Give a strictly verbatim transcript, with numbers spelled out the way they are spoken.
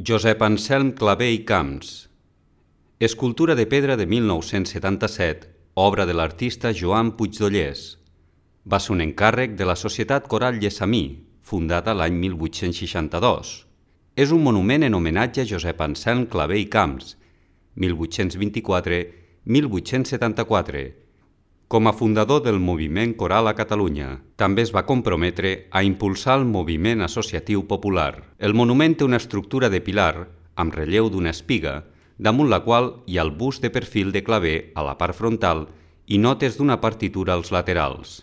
Josep Anselm Clavé i Camps. Escultura de pedra de mil nou-cents setanta-set, obra de l'artista Joan Puigdollers. Va ser un encàrrec de la Societat Coral Llessamí, fundada l'any mil vuit-cents seixanta-dos. És un monument en homenatge a Josep Anselm Clavé i Camps, mil vuit-cents vint-i-quatre a mil vuit-cents setanta-quatre, com a fundador del moviment coral a Catalunya. També es va comprometre a impulsar el moviment associatiu popular. El monument té una estructura de pilar amb relleu d'una espiga, damunt la qual hi ha el bust de perfil de Clavé a la part frontal i notes d'una partitura als laterals.